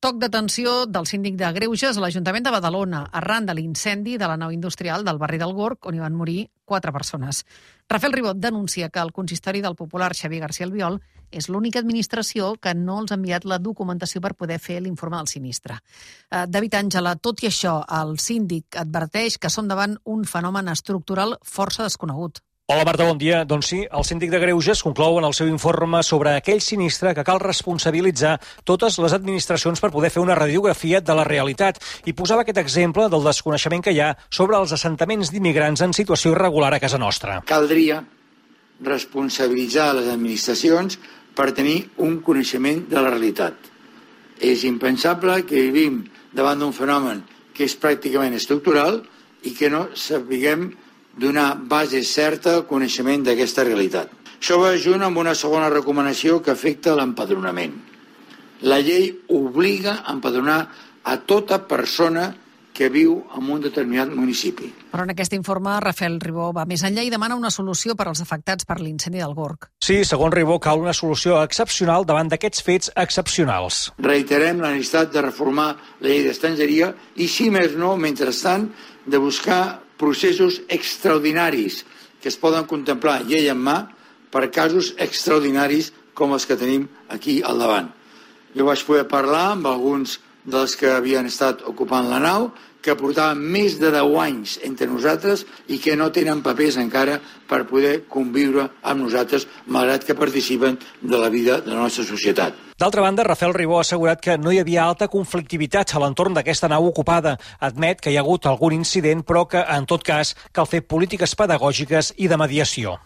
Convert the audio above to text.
Toc d'atenció del síndic de Greuges a l'Ajuntament de Badalona arran de l'incendi de la nau industrial del barri del Gorg, on hi van morir 4 persones. Rafael Ribot denuncia que el consistori del popular Xavier García Albiol és l'única administració que no els ha enviat la documentació per poder fer l'informe del sinistre. David Àngela, tot i això, el síndic adverteix que som davant un fenomen estructural força desconegut. Hola Marta, bon dia. Doncs sí, el síndic de Greuges conclou en el seu informe sobre aquell sinistre que cal responsabilitzar totes les administracions per poder fer una radiografia de la realitat i posava aquest exemple del desconeixement que hi ha sobre els assentaments d'immigrants en situació irregular a casa nostra. Caldria responsabilitzar les administracions per tenir un coneixement de la realitat. És impensable que vivim davant d'un fenomen que és pràcticament estructural i que no sapiguem donar base certa al coneixement d'aquesta realitat. Això va junt amb una segona recomanació que afecta l'empadronament. La llei obliga a empadronar a tota persona que viu en un determinat municipi. Però en aquest informe, Rafael Ribó va més enllà i demana una solució per als afectats per l'incendi del Gorg. Sí, segons Ribó, cal una solució excepcional davant d'aquests fets excepcionals. Reiterem la necessitat de reformar la llei d'estrangeria i, si més no, mentrestant, de buscar processos extraordinaris que es poden contemplar llei en mà per casos extraordinaris com els que tenim aquí al davant. Jo vaig poder parlar amb alguns dels que havien estat ocupant la nau, que portaven més de 10 anys entre nosaltres i que no tenen papers encara per poder conviure amb nosaltres, malgrat que participen de la vida de la nostra societat. D'altra banda, Rafael Ribó ha assegurat que no hi havia alta conflictivitat a l'entorn d'aquesta nau ocupada. Admet que hi ha hagut algun incident, però que, en tot cas, cal fer polítiques pedagògiques i de mediació.